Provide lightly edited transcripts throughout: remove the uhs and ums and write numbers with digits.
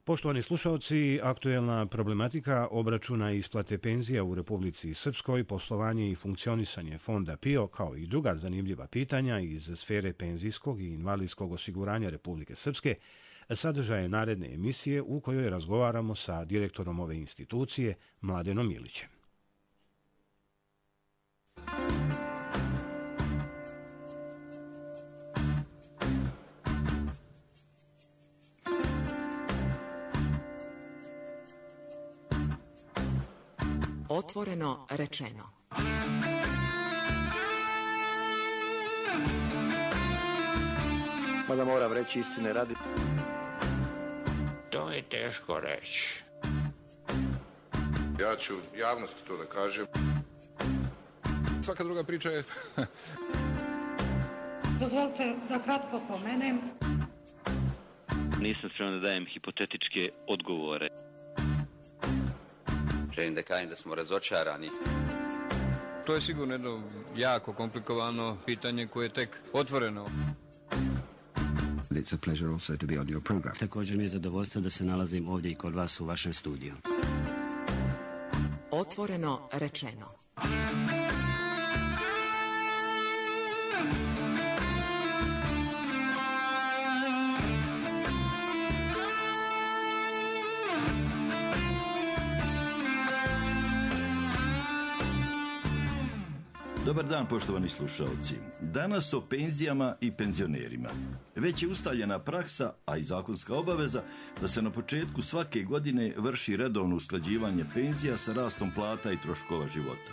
Poštovani slušalci, aktuelna problematika obračuna i isplate penzija u Republici Srpskoj, poslovanje i funkcionisanje fonda PIO, kao i druga zanimljiva pitanja iz sfere penzijskog i invalidskog osiguranja Republike Srpske, sadržaje naredne emisije u kojoj razgovaramo sa direktorom ove institucije, Mladenom Milićem. Otvoreno rečeno. Mada moram reći istine radi. To je teško reći. Ja ću javnosti to da kažem. Svaka druga priča je... Dozvolite da kratko pomenem. Nisam spreman da dajem hipotetičke odgovore. Želim da kažem da smo razočarani. To je sigurno jedno jako komplikovano pitanje koje je tek otvoreno. It's a pleasure also to be on your program. Također mi je zadovoljstvo da se nalazim ovdje i kod vas u vašem studiju. Otvoreno rečeno. Dobar dan, poštovani slušalci. Danas o penzijama i penzionerima. Već je ustaljena praksa, a i zakonska obaveza, da se na početku svake godine vrši redovno usklađivanje penzija sa rastom plata i troškova života.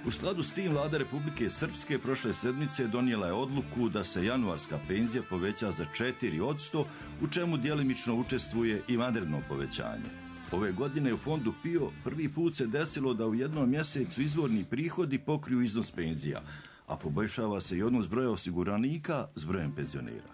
U skladu s tim Vlada Republike Srpske prošle sedmice donijela je odluku da se januarska penzija poveća za 4%, u čemu djelimično učestvuje i vanredno povećanje. Ove godine u fondu PIO prvi put se desilo da u jednom mjesecu izvorni prihodi pokriju iznos penzija, a poboljšava se i odnos broja osiguranika s brojem penzionera.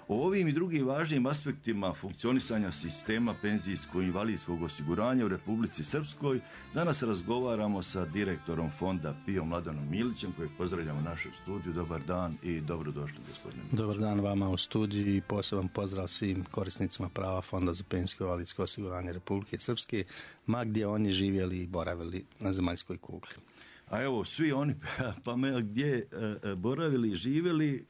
O ovim i drugim važnim aspektima funkcionisanja sistema penzijsko-invalidskog osiguranja u Republici Srpskoj danas razgovaramo sa direktorom fonda PIO Mladenom Milićem, kojeg pozdravljamo u našem studiju. Dobar dan i dobrodošli, gospodine. Dobar dan vama u studiju i poseban pozdrav svim korisnicima prava Fonda za penzijsko-invalidsko osiguranje Republike Srpske, ma gdje oni živjeli i boravili na zemaljskoj kugli. A evo, svi oni, pa gdje boravili i živjeli,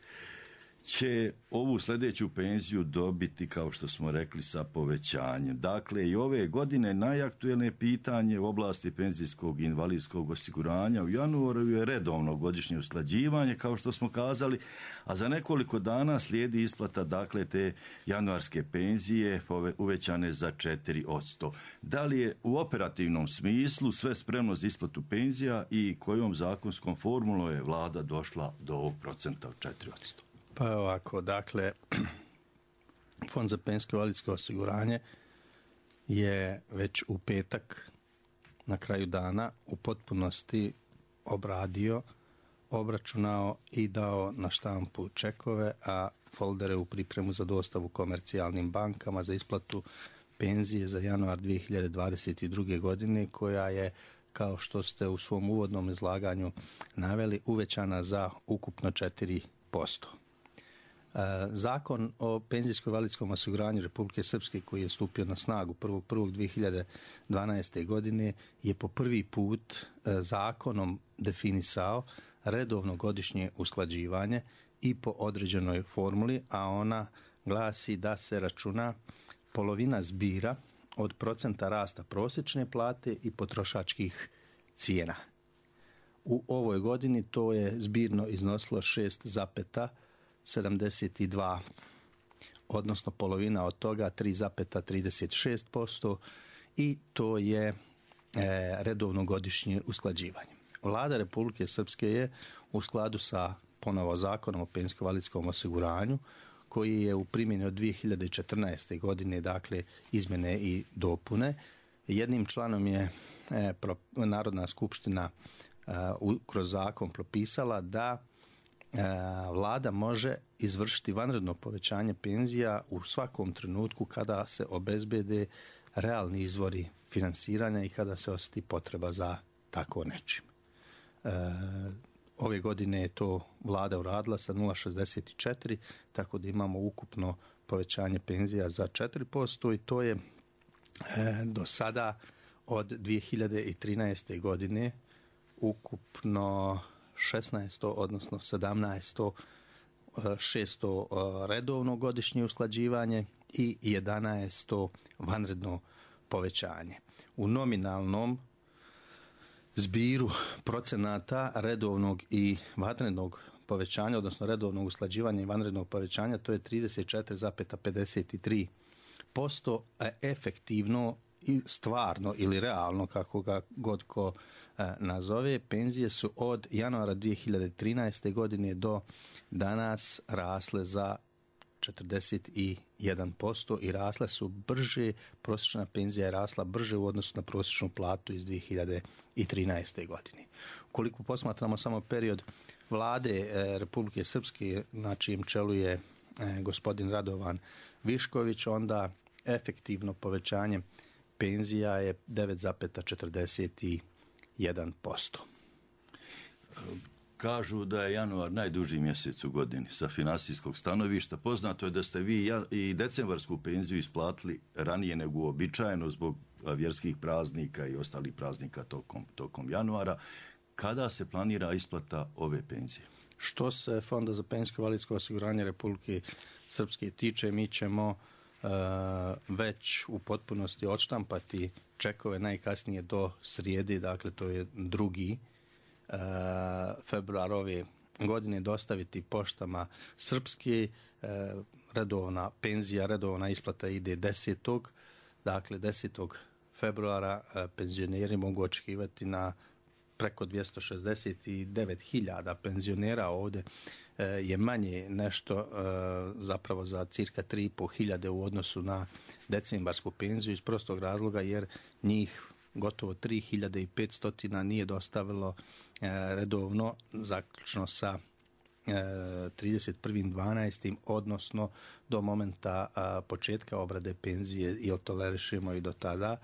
će ovu sljedeću penziju dobiti, kao što smo rekli, sa povećanjem. Dakle, i ove godine najaktuelnije pitanje u oblasti penzijskog i invalidskog osiguranja u januaru je redovno godišnje usklađivanje, kao što smo kazali, a za nekoliko dana slijedi isplata, dakle, te januarske penzije uvećane za 4%. Da li je u operativnom smislu sve spremno za isplatu penzija i kojom zakonskom formulom je vlada došla do ovog procenta od 4%? Pa ovako, dakle, Fond za penzijsko invalidsko osiguranje je već u petak na kraju dana u potpunosti obradio, obračunao i dao na štampu čekove, a foldere u pripremu za dostavu komercijalnim bankama za isplatu penzije za januar 2022. godine, koja je, kao što ste u svom uvodnom izlaganju naveli, uvećana za ukupno 4%. Zakon o penzijsko-invalidskom osiguranju Republike Srpske, koji je stupio na snagu 1.1.2012. godine, je po prvi put zakonom definisao redovno godišnje usklađivanje i po određenoj formuli, a ona glasi da se računa polovina zbira od procenta rasta prosječne plate i potrošačkih cijena. U ovoj godini to je zbirno iznosilo 6,72, odnosno polovina od toga 3,36%, i to je redovno godišnje usklađivanje. Vlada Republike Srpske je u skladu sa ponovo zakonom o penzijsko-invalidskom osiguranju, koji je u primjeni od 2014. godine, dakle izmjene i dopune, jednim članom je Narodna skupština kroz zakon propisala da Vlada može izvršiti vanredno povećanje penzija u svakom trenutku kada se obezbede realni izvori finansiranja i kada se osjeti potreba za tako nečim. Ove godine je to Vlada uradila sa 0,64, tako da imamo ukupno povećanje penzija za 4% i to je do sada od 2013. godine ukupno 16, odnosno 17, 600 redovno godišnje usklađivanje i 11 vanredno povećanje. U nominalnom zbiru procenata redovnog i vanrednog povećanja, odnosno redovnog usklađivanja i vanrednog povećanja, to je 34,53%, a efektivno i stvarno ili realno, kako ga god ko nazove, penzije su od januara 2013. godine do danas rasle za 41% i rasle su brže, prosječna penzija je rasla brže u odnosu na prosječnu platu iz 2013. godine. Ukoliko posmatramo samo period vlade Republike Srpske, na čijem čelu je gospodin Radovan Višković, onda efektivno povećanje penzija je 9,41%. Kažu da je januar najduži mjesec u godini sa finansijskog stanovišta. Poznato je da ste vi i decembarsku penziju isplatili ranije nego uobičajeno zbog vjerskih praznika i ostalih praznika tokom januara. Kada se planira isplata ove penzije? Što se Fonda za penzijsko i invalidsko osiguranje Republike Srpske tiče, mi ćemo već u potpunosti odštampati čekove najkasnije do srijede, dakle to je 2. februar ove godine, dostaviti poštama Srpske. Redovna penzija, redovna isplata ide 10. Dakle 10. februara penzioneri mogu očekivati na preko 269.000 penzionera. Ovdje je manje nešto, zapravo za cirka 3.500 u odnosu na decembarsku penziju, iz prostog razloga jer njih gotovo 3.500 nije dostavilo redovno zaključno sa 31.12. odnosno do momenta početka obrade penzije, ili tolerišemo i do tada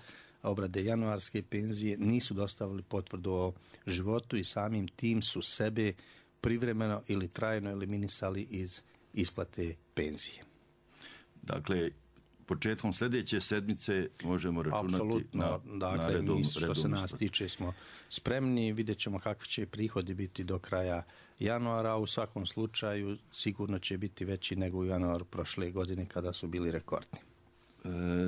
obrade januarske penzije, nisu dostavili potvrdu o životu i samim tim su sebe privremeno ili trajno eliminisali iz isplate penzije. Dakle, početkom sljedeće sedmice možemo računati apsolutno, na redovnu što se nas tiče smo spremni, vidjet ćemo kakvi će prihodi biti do kraja januara, u svakom slučaju sigurno će biti veći nego u januaru prošle godine kada su bili rekordni.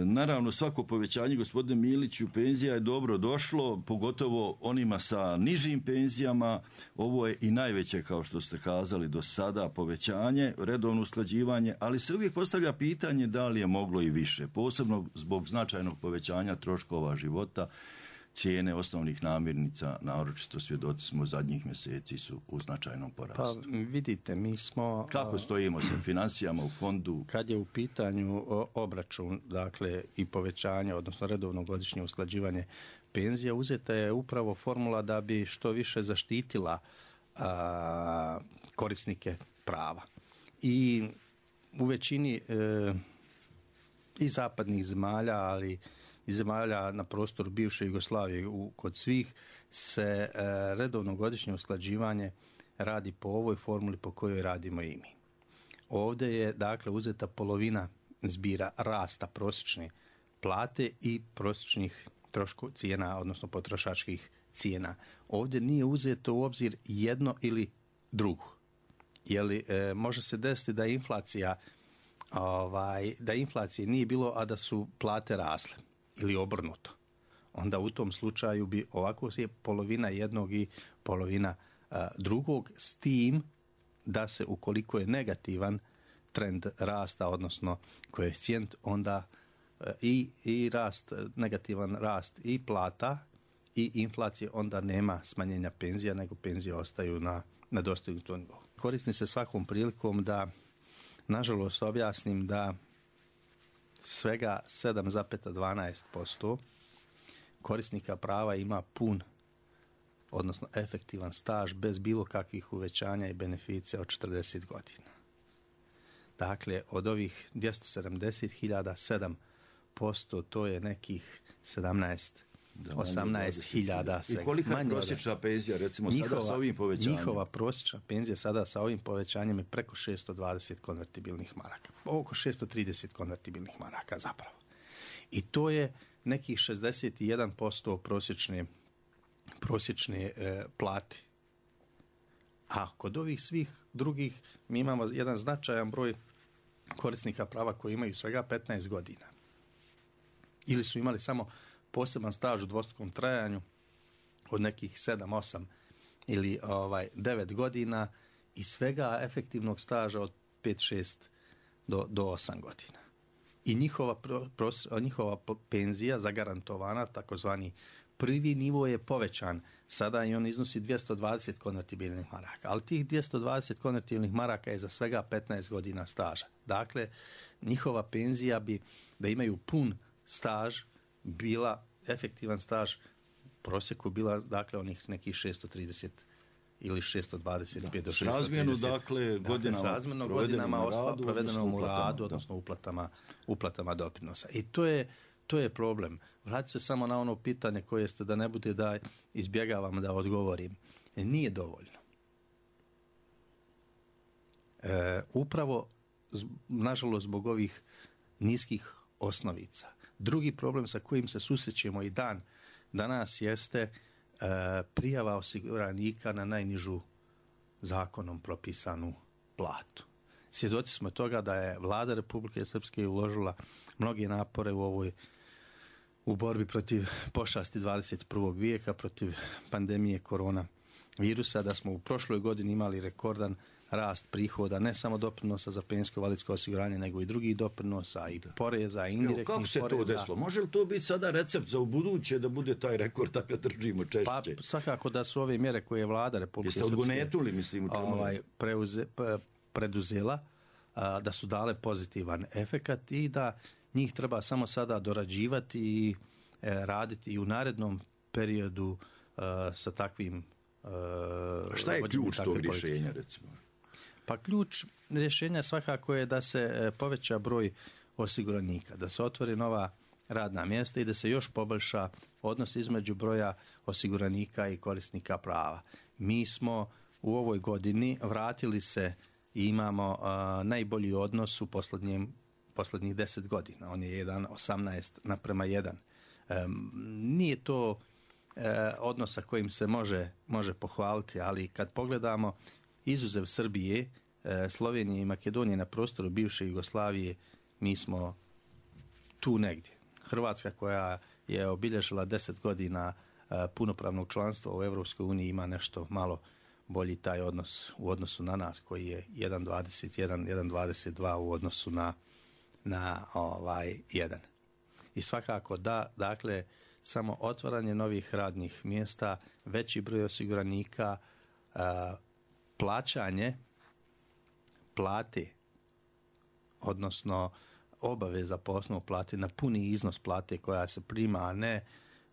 Naravno, svako povećanje, gospodine Miliću, penzija je dobro došlo, pogotovo onima sa nižim penzijama. Ovo je i najveće, kao što ste kazali, do sada povećanje, redovno usklađivanje, ali se uvijek postavlja pitanje da li je moglo i više, posebno zbog značajnog povećanja troškova života. Cijene osnovnih namirnica, naročito svjedoci smo zadnjih mjeseci, su u značajnom porastu. Pa vidite, mi smo... Kako stojimo sa financijama u fondu? Kad je u pitanju obračun, dakle, i povećanje, odnosno redovno godišnje usklađivanje penzija, uzeta je upravo formula da bi što više zaštitila korisnike prava. I u većini i zapadnih zemalja, ali i zemalja na prostoru bivše Jugoslavije, kod svih se redovno godišnje usklađivanje radi po ovoj formuli po kojoj radimo i mi. Ovdje je dakle uzeta polovina zbira rasta prosječne plate i prosječnih cijena, odnosno potrošačkih cijena. Ovdje nije uzeto u obzir jedno ili drugo. Može se desiti da inflacije nije bilo, a da su plate rasle ili obrnuto. Onda u tom slučaju bi ovako je polovina jednog i polovina drugog, s tim da se ukoliko je negativan trend rasta, odnosno koeficijent, onda i rast, negativan rast i plata i inflacije, onda nema smanjenja penzija, nego penzije ostaju na dostignutom nivou. Koristim se svakom prilikom da, nažalost, objasnim da svega 7,12% korisnika prava ima pun, odnosno efektivan staž bez bilo kakvih uvećanja i beneficija od 40 godina. Dakle, od ovih 270.000, 7%, to je nekih 18.000. I kolika je prosječna penzija, recimo, sada sa ovim povećanjem? Njihova prosječna penzija sada sa ovim povećanjem je preko 620 konvertibilnih maraka. Oko 630 konvertibilnih maraka zapravo. I to je nekih 61% prosječne plate. A kod ovih svih drugih mi imamo jedan značajan broj korisnika prava koji imaju svega 15 godina. Ili su imali samo poseban staž u dvostrukom trajanju od nekih 7, 8 ili 9 godina i svega efektivnog staža od 5, 6 do 8 godina. I njihova penzija zagarantovana, takozvani prvi nivo je povećan. Sada i on iznosi 220 konvertibilnih maraka. Ali tih 220 konvertibilnih maraka je za svega 15 godina staža. Dakle, njihova penzija bi, da imaju pun staž, bila efektivan staž, u prosjeku bila, dakle, onih nekih 630 ili 625 do 630. Razmjerno, dakle, godinama provedenom u radu, odnosno uplatama doprinosa. I to je problem. Vratite se samo na ono pitanje koje ste, da ne bude da izbjegavam da odgovorim. Nije dovoljno. Upravo, nažalost, zbog ovih niskih osnovica. Drugi problem sa kojim se susrećemo i danas jeste prijava osiguranika na najnižu zakonom propisanu platu. Svjedoci smo toga da je Vlada Republike Srpske uložila mnoge napore u borbi protiv pošasti 21. vijeka, protiv pandemije korona virusa, da smo u prošloj godini imali rekordan rast prihoda, ne samo doprinosa za penzijsko invalidsko osiguranje, nego i drugih doprinosa i poreza, i indirektnih poreza. Kako se to desilo? Može li to biti sada recept za ubuduće da bude taj rekord da ga držimo češće? Pa svakako da su ove mjere koje je Vlada Republike Srpske preduzela, da su dale pozitivan efekat i da njih treba samo sada dorađivati i raditi i u narednom periodu sa takvim šta je ključ tog rješenja, recimo? Pa ključ rješenja svakako je da se poveća broj osiguranika, da se otvori nova radna mjesta i da se još poboljša odnos između broja osiguranika i korisnika prava. Mi smo u ovoj godini vratili se i imamo najbolji odnos u posljednjih 10 godina. On je 1:18:1. Nije to odnos sa kojim se može pohvaliti, ali kad pogledamo izuzev Srbije, Slovenije i Makedonije na prostoru bivše Jugoslavije, mi smo tu negdje. Hrvatska, koja je obilježila 10 godina punopravnog članstva u Europskoj uniji, ima nešto malo bolji taj odnos u odnosu na nas, koji je 1:21, 1:22 u odnosu na 1. I svakako da, dakle, samo otvaranje novih radnih mjesta, veći broj osiguranika, plaćanje plate, odnosno obaveza po osnovu plate na puni iznos plate koja se prima, a ne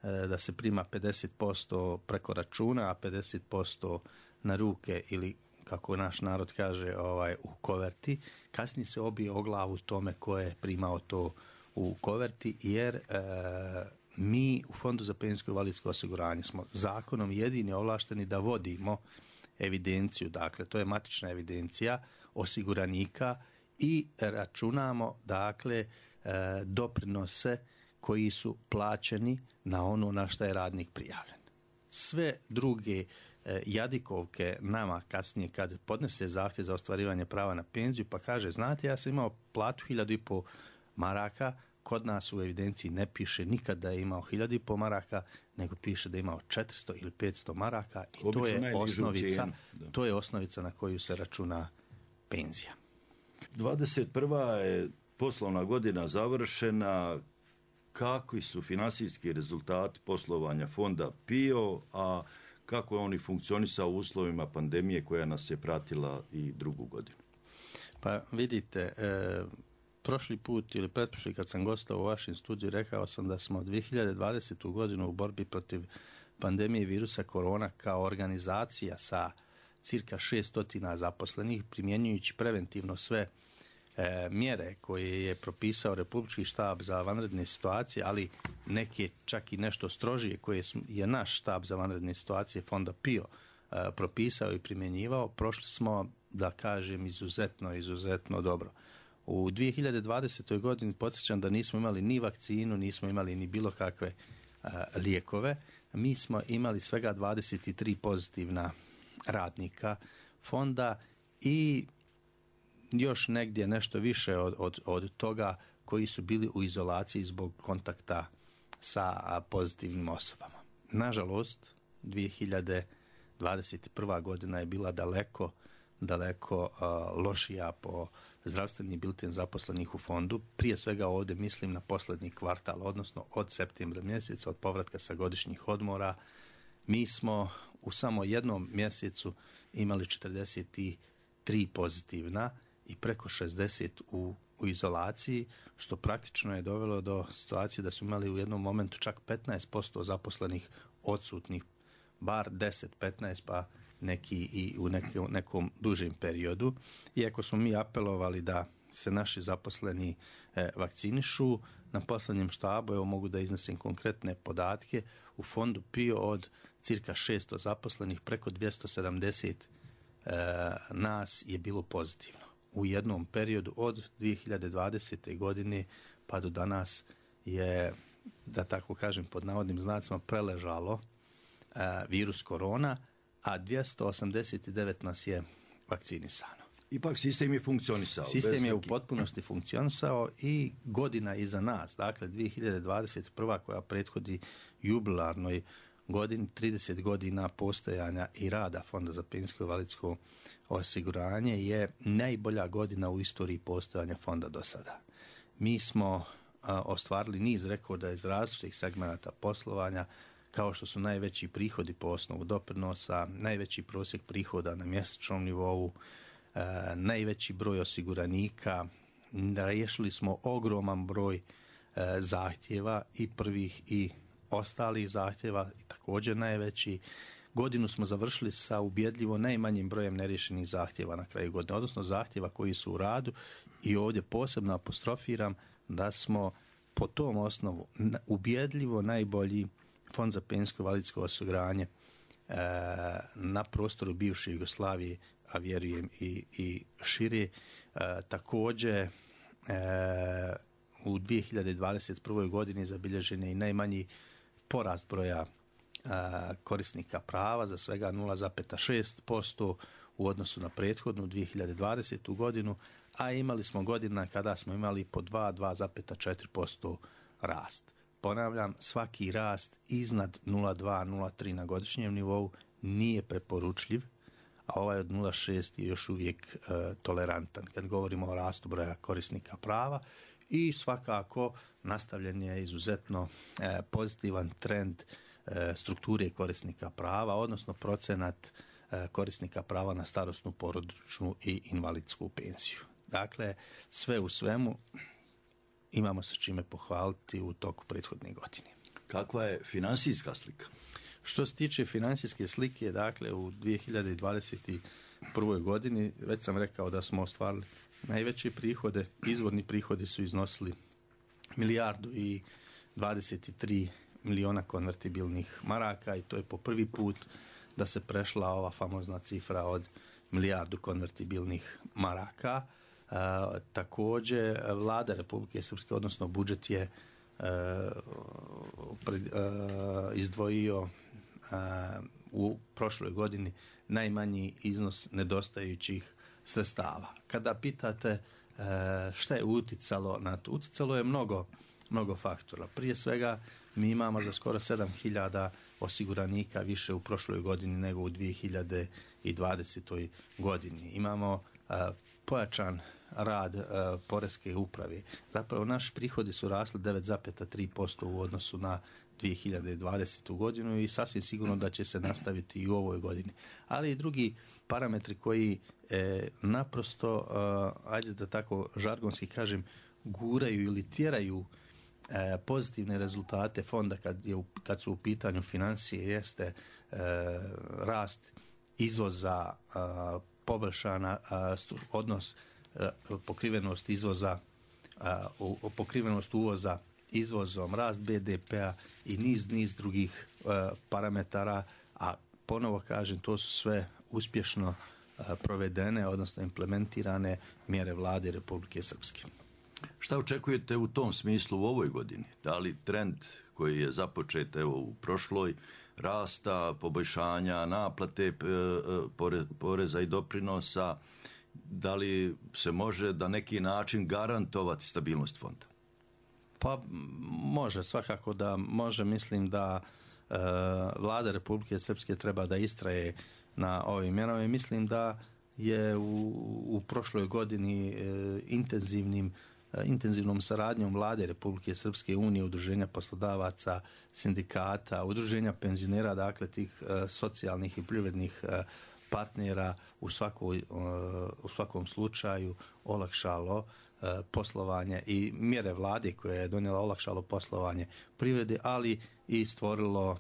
da se prima 50% preko računa, a 50% na ruke ili, kako naš narod kaže, u koverti. Kasnije se obije o glavu tome ko je primao to u koverti, jer mi u Fondu za penzijsko invalidsko osiguranje smo zakonom jedini ovlašteni da vodimo evidenciju, dakle to je matična evidencija osiguranika i računamo, dakle, doprinose koji su plaćeni na ono na što je radnik prijavljen. Sve druge jadikovke nama kasnije kad podnese zahtjev za ostvarivanje prava na penziju pa kaže, znate, ja sam imao platu 1.500 maraka, kod nas u evidenciji ne piše nikad da je imao 1.500 maraka, nego piše da je imao 400 ili 500 maraka i to je osnovica na koju se računa penzija. 21. je poslovna godina završena. Kakvi su finansijski rezultati poslovanja fonda PIO, a kako je oni funkcionisao u uslovima pandemije koja nas je pratila i drugu godinu? Pa vidite, prošli put ili pretprošli kad sam gostao u vašem studiju, rekao sam da smo 2020. godinu u borbi protiv pandemije virusa korona kao organizacija sa cirka 600 zaposlenih, primjenjujući preventivno sve mjere koje je propisao Republički štab za vanredne situacije, ali neke čak i nešto strožije koje je naš štab za vanredne situacije Fonda PIO propisao i primjenjivao, prošli smo, da kažem, izuzetno dobro. U 2020. godini podsjećam da nismo imali ni vakcinu, nismo imali ni bilo kakve lijekove. Mi smo imali svega 23 pozitivna radnika fonda i još negdje nešto više od toga koji su bili u izolaciji zbog kontakta sa pozitivnim osobama. Nažalost, 2021. godina je bila daleko lošija po zdravstveni bilten zaposlenih u fondu. Prije svega ovdje mislim na posljednji kvartal, odnosno od septembra mjeseca, od povratka sa godišnjih odmora. Mi smo u samo jednom mjesecu imali 43 pozitivna i preko 60 u izolaciji, što praktično je dovelo do situacije da su imali u jednom momentu čak 15% zaposlenih odsutnih, bar 10-15, pa neki i u nekom dužem periodu. Iako smo mi apelovali da se naši zaposleni vakcinišu, na posljednjem štabu, evo mogu da iznesem konkretne podatke, u fondu PIO od cirka 600 zaposlenih, preko 270 nas je bilo pozitivno. U jednom periodu od 2020. godine pa do danas je, da tako kažem pod navodnim znacima, preležalo virus korona, a 289 nas je vakcinisano. Ipak sistem je funkcionisao. Sistem je u potpunosti funkcionisao i godina iza nas, dakle 2021. koja prethodi jubilarnoj godini, 30 godina postojanja i rada Fonda za penzijsko i invalidsko osiguranje, je najbolja godina u istoriji postojanja fonda do sada. Mi smo ostvarili niz rekorda iz različitih segmenata poslovanja, kao što su najveći prihodi po osnovu doprinosa, najveći prosjek prihoda na mjesečnom nivou, najveći broj osiguranika. Riješili smo ogroman broj zahtjeva, i prvih i ostalih zahtjeva, i također najveći. Godinu smo završili sa ubjedljivo najmanjim brojem neriješenih zahtjeva na kraju godine, odnosno zahtjeva koji su u radu, i ovdje posebno apostrofiram da smo po tom osnovu ubjedljivo najbolji Fond za penzijsko i invalidsko osiguranje na prostoru bivše Jugoslavije, a vjerujem i šire. Također u 2021. godini zabilježen je i najmanji porast broja korisnika prava za svega 0,6% u odnosu na prethodnu 2020. godinu, a imali smo godina kada smo imali po 2,4% rast. Ponavljam, svaki rast iznad 0,2-0,3 na godišnjem nivou nije preporučljiv, a ovaj od 0,6 je još uvijek tolerantan kad govorimo o rastu broja korisnika prava, i svakako nastavljen je izuzetno pozitivan trend strukture korisnika prava, odnosno procenat korisnika prava na starosnu, porodičnu i invalidsku penziju. Dakle, sve u svemu imamo se čime pohvaliti u toku prethodne godine. Kakva je financijska slika? Što se tiče financijske slike, dakle u 2021. godini već sam rekao da smo ostvarili najveće prihode. Izvorni prihodi su iznosili 1,23 miliona konvertibilnih maraka, i to je po prvi put da se prešla ova famozna cifra od 1 milijardu konvertibilnih maraka. Također Vlada Republike Srpske, odnosno budžet je izdvojio u prošloj godini najmanji iznos nedostajućih sredstava. Kada pitate šta je utjecalo na to, utjecalo je mnogo faktora. Prije svega mi imamo za skoro 7.000 osiguranika više u prošloj godini nego u 2020. godini. Imamo pojačan rad poreske uprave. Zapravo naši prihodi su rasli 9,3% u odnosu na 2020. godinu i sasvim sigurno da će se nastaviti i u ovoj godini. Ali i drugi parametri koji naprosto, ajde da tako žargonski kažem, guraju ili tjeraju pozitivne rezultate fonda kad su u pitanju financije, jeste rast izvoza, poboljšana odnos pokrivenost izvoza, pokrivenost uvoza izvozom, rast BDP-a i niz drugih parametara, a ponovo kažem, to su sve uspješno provedene, odnosno implementirane mjere vlade Republike Srpske. Šta očekujete u tom smislu u ovoj godini? Da li trend koji je započet u prošloj rasta, poboljšanja, naplate poreza i doprinosa, da li se može na neki način garantovati stabilnost fonda? Pa može, svakako da može. Mislim da vlada Republike Srpske treba da istraje na ovim mjerama i mislim da je u prošloj godini intenzivnom saradnjom vlade Republike Srpske, Unije, udruženja poslodavaca, sindikata, udruženja penzionera, dakle tih socijalnih i privrednih partnera u svakom slučaju olakšalo poslovanje i mjere vlade koje je donijela olakšalo poslovanje privrede, ali i stvorilo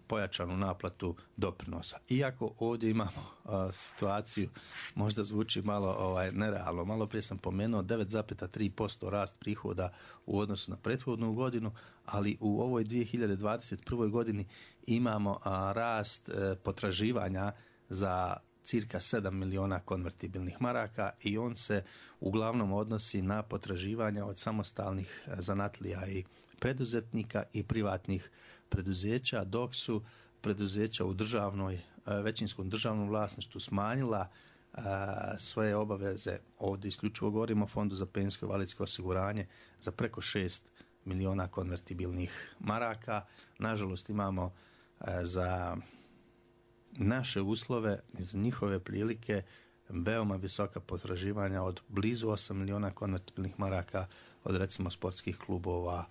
pojačanu naplatu doprinosa. Iako ovdje imamo situaciju, možda zvuči malo nerealno, malo prije sam pomenuo 9,3% rast prihoda u odnosu na prethodnu godinu, ali u ovoj 2021. godini imamo rast potraživanja za cirka 7 miliona konvertibilnih maraka i on se uglavnom odnosi na potraživanja od samostalnih zanatlija i preduzetnika i privatnih preduzeća, dok su preduzeća u većinskom državnom vlasništvu smanjila svoje obaveze. Ovdje isključivo govorimo o Fondu za penzijsko i invalidsko osiguranje za preko 6 miliona konvertibilnih maraka. Nažalost imamo za naše uslove, iz njihove prilike, veoma visoka potraživanja od blizu 8 miliona konvertibilnih maraka od recimo sportskih klubova,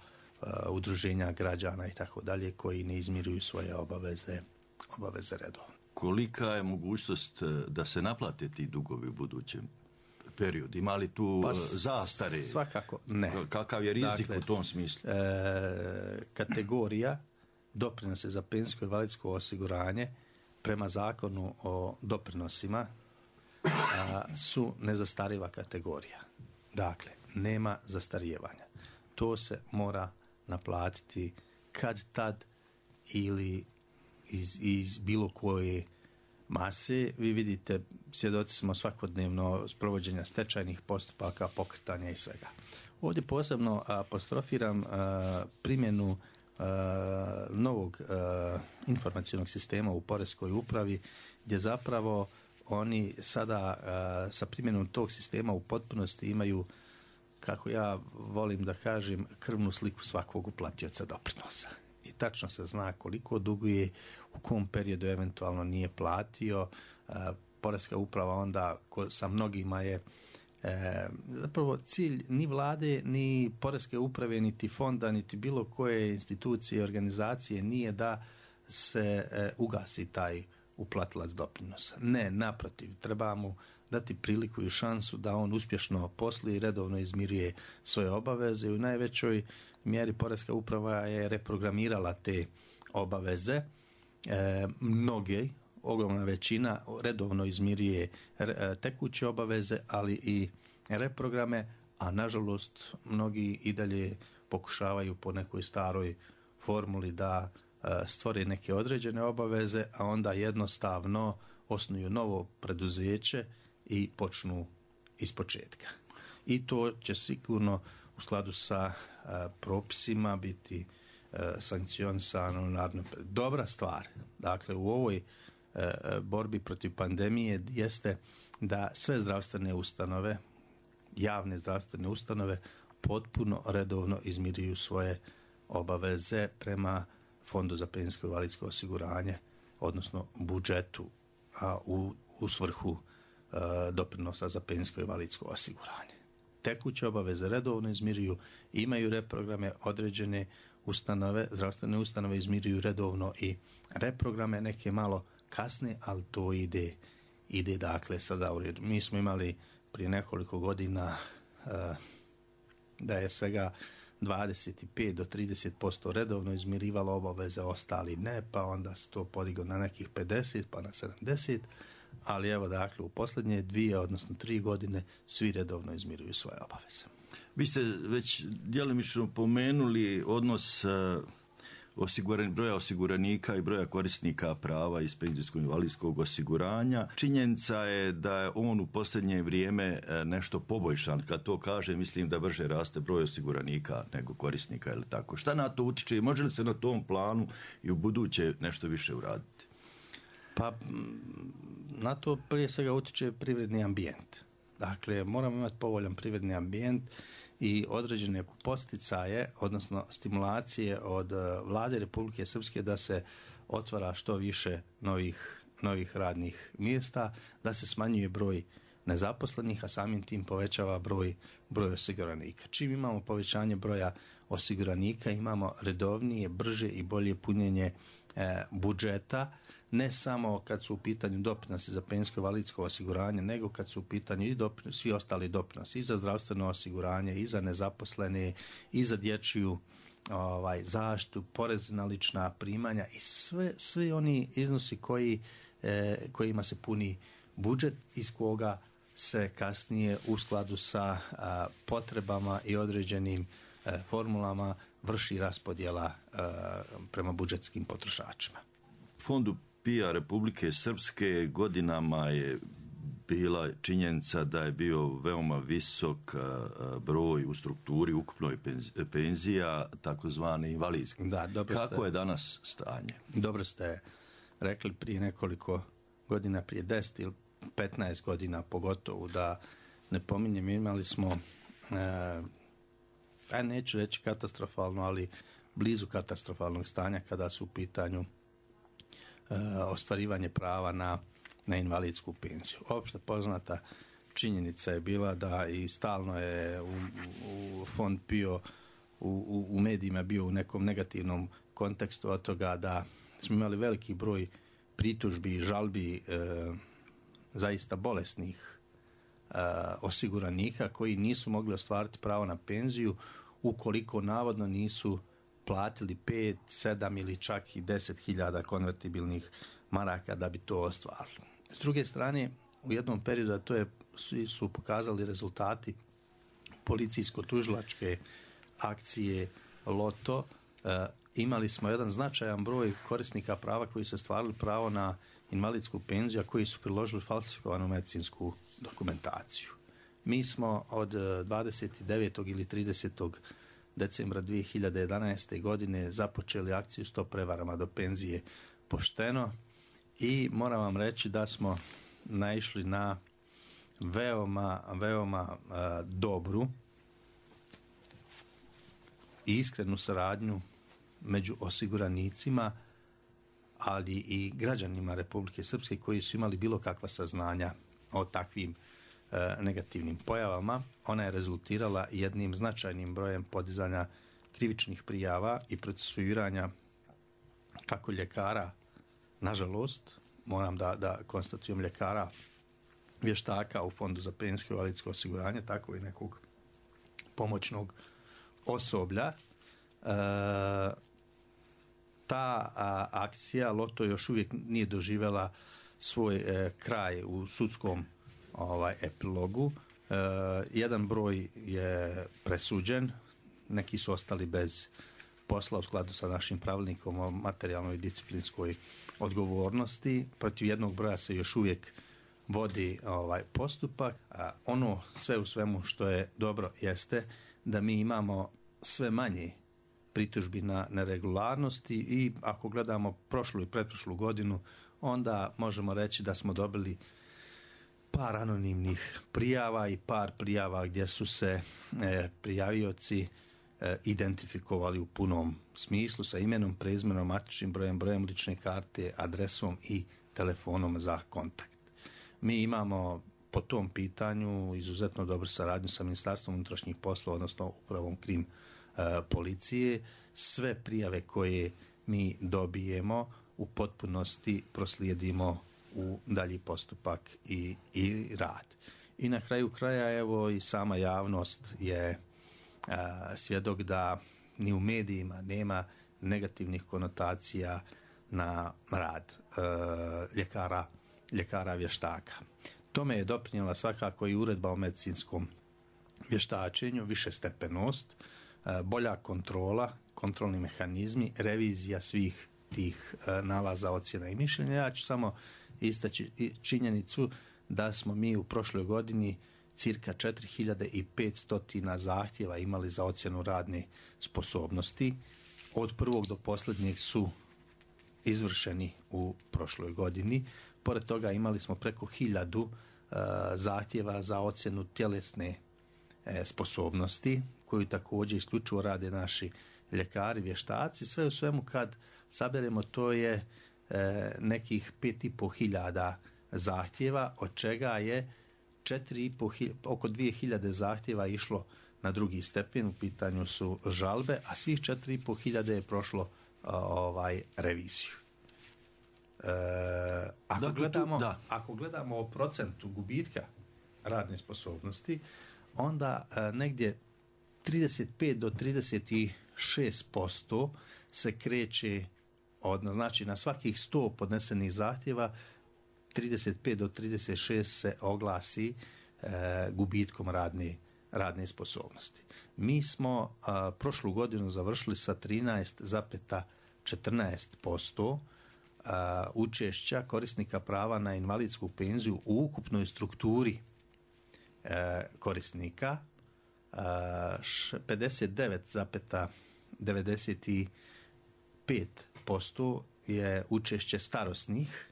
udruženja građana i tako dalje, koji ne izmiruju svoje obaveze redovno. Kolika je mogućnost da se naplate ti dugovi u budućem periodu? Ima li tu zastare? Svakako ne. Kakav je rizik u tom smislu? Kategorija doprinose za penzijsko i invalidsko osiguranje prema zakonu o doprinosima su nezastariva kategorija. Dakle, nema zastarijevanja. To se mora naplatiti kad tad ili iz bilo koje mase. Vi vidite, svjedoci smo svakodnevno sprovođenja stečajnih postupaka, pokretanja i svega. Ovdje posebno apostrofiram primjenu novog informacionog sistema u poreskoj upravi, gdje zapravo oni sada sa primjenom tog sistema u potpunosti imaju, kako ja volim da kažem, krvnu sliku svakog uplatioca doprinosa. I tačno se zna koliko duguje, u kom periodu eventualno nije platio. Poreska uprava onda sa mnogima je zapravo cilj ni vlade, ni poreske uprave, niti fonda, niti bilo koje institucije i organizacije nije da se ugasi taj uplatilac doprinosa. Ne, naprotiv, treba mu dati priliku i šansu da on uspješno posluje i redovno izmiruje svoje obaveze. U najvećoj mjeri poreska uprava je reprogramirala te obaveze. Mnoge, ogromna većina redovno izmiruje tekuće obaveze, ali i reprograme, a nažalost mnogi i dalje pokušavaju po nekoj staroj formuli da stvore neke određene obaveze, a onda jednostavno osnuju novo preduzeće i počnu ispočetka. I to će sigurno u skladu sa propisima biti sankcionisano. Dobra stvar, dakle, u ovoj borbi protiv pandemije jeste da sve zdravstvene ustanove, javne zdravstvene ustanove, potpuno redovno izmiruju svoje obaveze prema Fondu za penzijsko i invalidsko osiguranje, odnosno budžetu, a u svrhu doprinosa za penzijsko i invalidsko osiguranje. Tekuće obaveze redovno izmiruju, imaju reprograme, određene ustanove, zdravstvene ustanove izmiruju redovno i reprograme, neke malo kasne, ali to ide dakle sada u redu. Mi smo imali prije nekoliko godina da je svega 25 do 30% redovno izmirivalo obaveze, ostali ne, pa onda se to podiglo na nekih 50, pa na 70, ali evo dakle u posljednje 2, odnosno 3 godine svi redovno izmiruju svoje obaveze. Vi ste već djelomično pomenuli odnos broja osiguranika i broja korisnika prava iz penzijskog invalidskog osiguranja. Činjenica je da je on u posljednje vrijeme nešto poboljšan. Kad to kaže, mislim da brže raste broj osiguranika nego korisnika ili tako. Šta na to utiče i može li se na tom planu i u buduće nešto više uraditi? Pa na to prije svega utiče privredni ambijent. Dakle, moramo imati povoljan privredni ambijent i određene posticaje, odnosno stimulacije od Vlade Republike Srpske da se otvara što više novih radnih mjesta, da se smanjuje broj nezaposlenih, a samim tim povećava broj osiguranika. Čim imamo povećanje broja osiguranika, imamo redovnije, brže i bolje punjenje budžeta, ne samo kad su u pitanju doprinosi za penzijsko invalidsko osiguranje, nego kad su u pitanju i svi ostali doprinosi, i za zdravstveno osiguranje, i za nezaposlene, i za dječju zaštitu, porez na lična primanja i svi oni iznosi kojima se puni budžet, iz koga se kasnije u skladu sa potrebama i određenim formulama vrši raspodjela prema budžetskim potrošačima. Fondu PIO Republike Srpske godinama je bila činjenica da je bio veoma visok broj u strukturi ukupnoj penzija, takozvane invalidske. Kako je danas stanje? Dobro ste rekli, prije nekoliko godina, prije 10 ili 15 godina pogotovo, da ne pominjem, imali smo neću reći katastrofalno, ali blizu katastrofalnog stanja kada su u pitanju ostvarivanje prava na invalidsku penziju. Opšte poznata činjenica je bila da i stalno je u fond PIO u medijima bio u nekom negativnom kontekstu od toga da smo imali veliki broj pritužbi i žalbi zaista bolesnih osiguranika koji nisu mogli ostvariti pravo na penziju ukoliko navodno nisu platili 5, 7 ili čak i 10.000 konvertibilnih maraka da bi to ostvarili. S druge strane, u jednom periodu, a to su pokazali rezultati policijsko-tužilačke akcije Loto, imali smo jedan značajan broj korisnika prava koji su ostvarili pravo na invalidsku penziju, a koji su priložili falsifikovanu medicinsku dokumentaciju. Mi smo od 29. ili 30. decembra 2011. godine započeli akciju Stop prevarama do penzije pošteno i moram vam reći da smo naišli na veoma dobru i iskrenu saradnju među osiguranicima, ali i građanima Republike Srpske koji su imali bilo kakva saznanja o takvim negativnim pojavama. Ona je rezultirala jednim značajnim brojem podizanja krivičnih prijava i procesuiranja kako ljekara, nažalost, moram da konstatujem, ljekara vještaka u Fondu za penzijsko i invalidsko osiguranje, tako i nekog pomoćnog osoblja. Ta akcija Loto još uvijek nije doživjela svoj kraj u sudskom epilogu. Jedan broj je presuđen, neki su ostali bez posla u skladu sa našim pravilnikom o materijalnoj i disciplinskoj odgovornosti. Protiv jednog broja se još uvijek vodi postupak. Ono sve u svemu što je dobro jeste da mi imamo sve manje pritužbi na neregularnosti i ako gledamo prošlu i pretprošlu godinu, onda možemo reći da smo dobili par anonimnih prijava i par prijava gdje su se prijavioci identifikovali u punom smislu sa imenom, prezimenom, matičnim brojem, brojem lične karte, adresom i telefonom za kontakt. Mi imamo po tom pitanju izuzetno dobru saradnju sa Ministarstvom unutrašnjih poslova, odnosno upravom krim policije. Sve prijave koje mi dobijemo u potpunosti proslijedimo u dalji postupak i rad. I na kraju kraja, evo, i sama javnost je svjedok da ni u medijima nema negativnih konotacija na rad ljekara vještaka. Tome je doprinijela svakako i uredba o medicinskom vještačenju, višestepenost, bolja kontrola kontrolni mehanizmi, revizija svih tih nalaza, ocjena i mišljenja. Ja ću samo istaći činjenicu da smo mi u prošloj godini cirka 4500 zahtjeva imali za ocjenu radne sposobnosti. Od prvog do posljednjeg su izvršeni u prošloj godini. Pored toga imali smo preko 1000 zahtjeva za ocjenu tjelesne sposobnosti, koju također isključivo rade naši ljekari, vještaci. Sve u svemu kad saberemo, to je nekih 5500 zahtjeva, od čega je oko 2000 zahtjeva išlo na drugi stepen, u pitanju su žalbe, a svih 4500 je prošlo reviziju. Ako gledamo o procentu gubitka radne sposobnosti, onda negdje 35 do 36% se kreće, znači na svakih 100 podnesenih zahtjeva 35 do 36 se oglasi gubitkom radne sposobnosti. Mi smo prošlu godinu završili sa 13,14% učešća korisnika prava na invalidsku penziju u ukupnoj strukturi korisnika, 59,95% je učešće starosnih,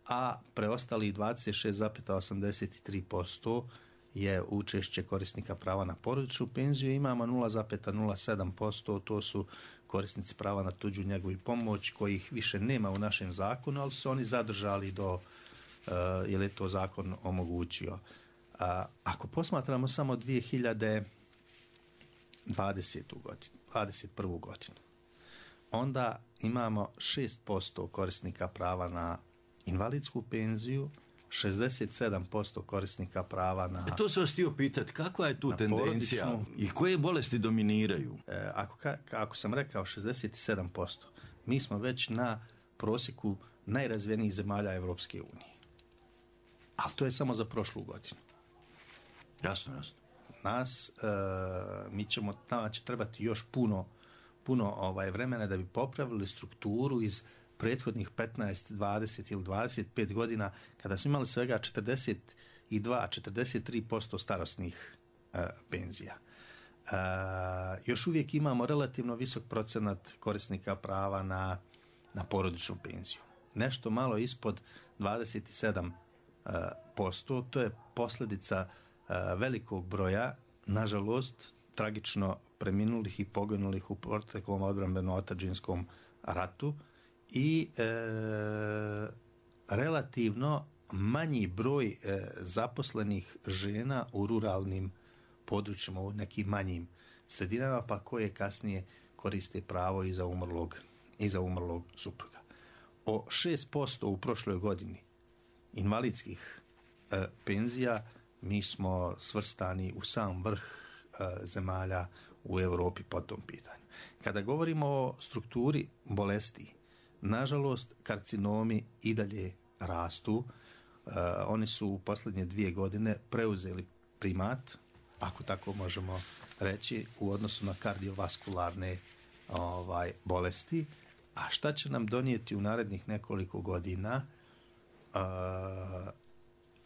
a preostalih 26,83% je učešće korisnika prava na porodičnu penziju. Imamo 0,07%, to su korisnici prava na tuđu njegu i pomoć, kojih više nema u našem zakonu, ali su oni zadržali jer je to zakon omogućio. Ako posmatramo samo 2021. godinu, onda imamo 6% korisnika prava na invalidsku penziju, 67% korisnika prava na... To se vas htio pitati, kakva je tu tendencija i koje bolesti dominiraju? Ako sam rekao 67%, mi smo već na prosjeku najrazvijenijih zemalja Evropske unije. Ali to je samo za prošlu godinu. Jasno. Mi ćemo trebati još puno vremena da bi popravili strukturu iz prethodnih 15, 20 ili 25 godina, kada smo imali svega 43% starosnih penzija. Još uvijek imamo relativno visok procenat korisnika prava na porodičnu penziju. Nešto malo ispod 27%, to je posljedica velikog broja, nažalost, tragično preminulih i poginulih u proteklom odbrambeno-otadžinskom ratu i relativno manji broj zaposlenih žena u ruralnim područjima, u nekim manjim sredinama, pa koje kasnije koriste pravo i za umrlog supruga. O 6% u prošloj godini invalidskih penzija mi smo svrstani u sam vrh zemalja u Europi po tom pitanju. Kada govorimo o strukturi bolesti, nažalost, karcinomi i dalje rastu. Oni su u posljednje 2 godine preuzeli primat, ako tako možemo reći, u odnosu na kardiovaskularne bolesti. A šta će nam donijeti u narednih nekoliko godina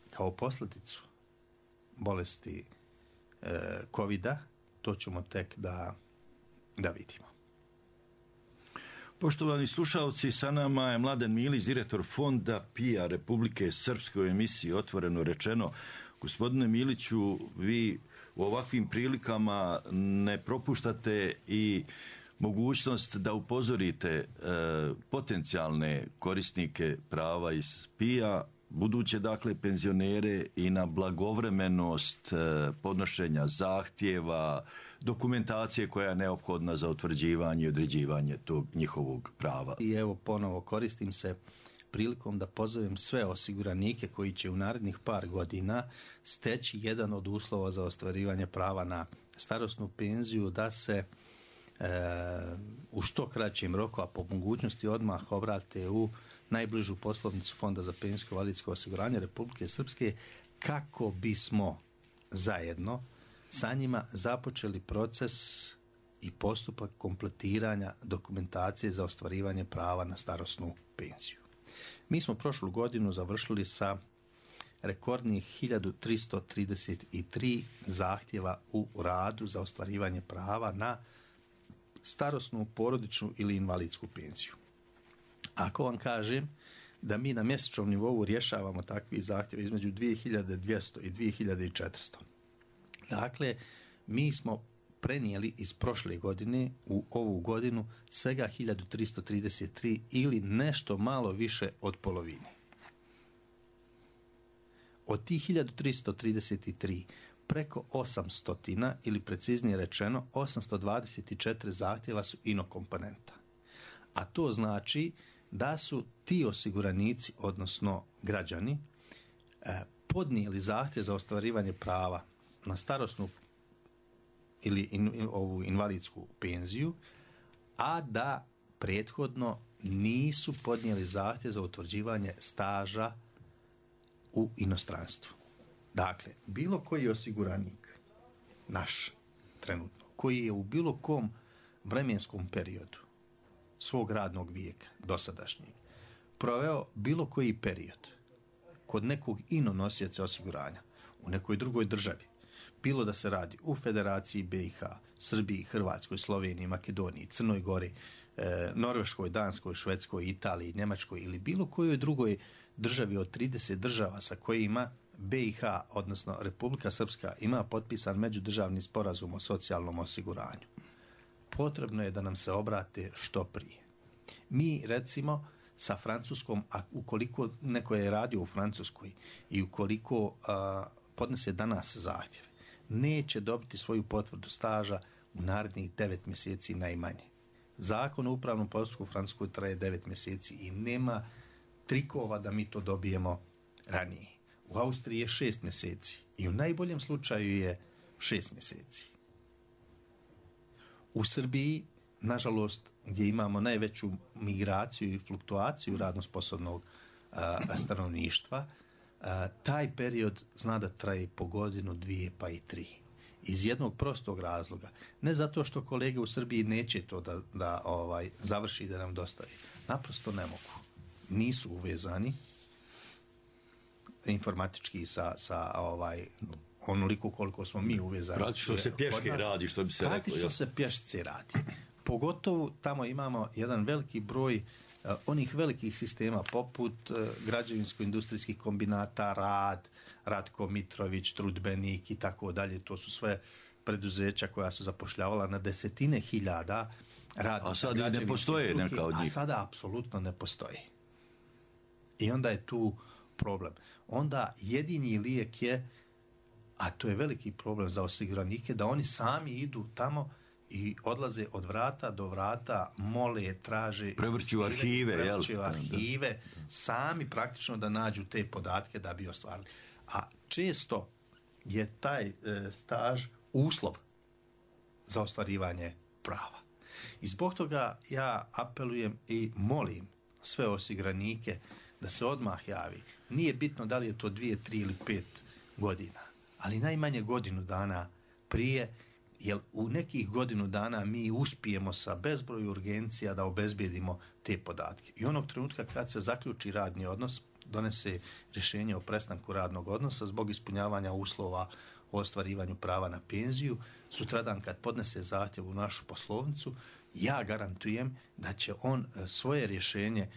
kao posljedicu bolesti COVID-a, to ćemo tek da vidimo. Poštovani slušalci, sa nama je Mladen Milić, direktor Fonda PIA Republike Srpske, u emisiji Otvoreno rečeno. Gospodine Miliću, vi u ovakvim prilikama ne propuštate i mogućnost da upozorite potencijalne korisnike prava iz PIA, buduće dakle penzionere, i na blagovremenost podnošenja zahtjeva, dokumentacije koja je neophodna za utvrđivanje i određivanje tog njihovog prava. I evo ponovo koristim se prilikom da pozovem sve osiguranike koji će u narednih par godina steći jedan od uslova za ostvarivanje prava na starosnu penziju, da se u što kraćem roku, a po mogućnosti odmah obrate u najbližu poslovnicu Fonda za penzijsko i invalidsko osiguranje Republike Srpske, kako bismo zajedno sa njima započeli proces i postupak kompletiranja dokumentacije za ostvarivanje prava na starosnu penziju. Mi smo prošlu godinu završili sa rekordnih 1333 zahtjeva u radu za ostvarivanje prava na starosnu, porodičnu ili invalidsku penziju. Ako vam kažem da mi na mjesečnom nivou rješavamo takvi zahtjeve između 2200 i 2400. Dakle, mi smo prenijeli iz prošle godine u ovu godinu svega 1333 ili nešto malo više od polovine. Od tih 1333 preko 800 ili preciznije rečeno 824 zahtjeva su inokomponenta. A to znači da su ti osiguranici, odnosno građani, podnijeli zahtjev za ostvarivanje prava na starosnu ili ovu invalidsku penziju, a da prethodno nisu podnijeli zahtjev za utvrđivanje staža u inostranstvu. Dakle, bilo koji osiguranik, naš trenutno, koji je u bilo kom vremenskom periodu svog radnog vijeka, dosadašnjeg, proveo bilo koji period kod nekog nosioca osiguranja u nekoj drugoj državi, bilo da se radi u Federaciji BiH, Srbiji, Hrvatskoj, Sloveniji, Makedoniji, Crnoj Gori, Norveškoj, Danskoj, Švedskoj, Italiji, Njemačkoj ili bilo kojoj drugoj državi od 30 država sa kojima BiH, odnosno Republika Srpska, ima potpisan međudržavni sporazum o socijalnom osiguranju. Potrebno je da nam se obrate što prije. Mi, recimo, sa Francuskom, a ukoliko neko je radio u Francuskoj i ukoliko podnese danas zahtjev, neće dobiti svoju potvrdu staža u narednih 9 mjeseci najmanje. Zakon o upravnom postupku u Francuskoj traje 9 mjeseci i nema trikova da mi to dobijemo ranije. U Austriji je 6 mjeseci i u najboljem slučaju je 6 mjeseci. U Srbiji, nažalost, gdje imamo najveću migraciju i fluktuaciju radno sposobnog stanovništva, taj period zna da traje po godinu, 2 pa i 3. Iz jednog prostog razloga. Ne zato što kolege u Srbiji neće to da završi i da nam dostavi. Naprosto ne mogu. Nisu uvezani informatički sa onoliko koliko smo mi uvezani. Praktično se pješke radi, što bi se reklo. Praktično se pješce radi. Pogotovo tamo imamo jedan veliki broj onih velikih sistema poput građevinsko-industrijskih kombinata, Ratko Mitrović, Trudbenik i tako dalje. To su sve preduzeća koja su zapošljavala na desetine hiljada radnika. A sad ne postoje neka od njih. A sada apsolutno ne postoji. I onda je tu problem. Onda jedini lijek je, a to je veliki problem za osiguranike, da oni sami idu tamo i odlaze od vrata do vrata, mole, traže, prevrću arhive, sami praktično da nađu te podatke da bi ostvarili. A često je taj staž uslov za ostvarivanje prava. I zbog toga ja apelujem i molim sve osiguranike da se odmah javi. Nije bitno da li je to 2, 3 ili 5 godina, ali najmanje godinu dana prije, jer u nekih godinu dana mi uspijemo sa bezbroj urgencija da obezbijedimo te podatke. I onog trenutka kad se zaključi radni odnos, donese rješenje o prestanku radnog odnosa zbog ispunjavanja uslova o ostvarivanju prava na penziju, sutradan kad podnese zahtjev u našu poslovnicu, ja garantujem da će on svoje rješenje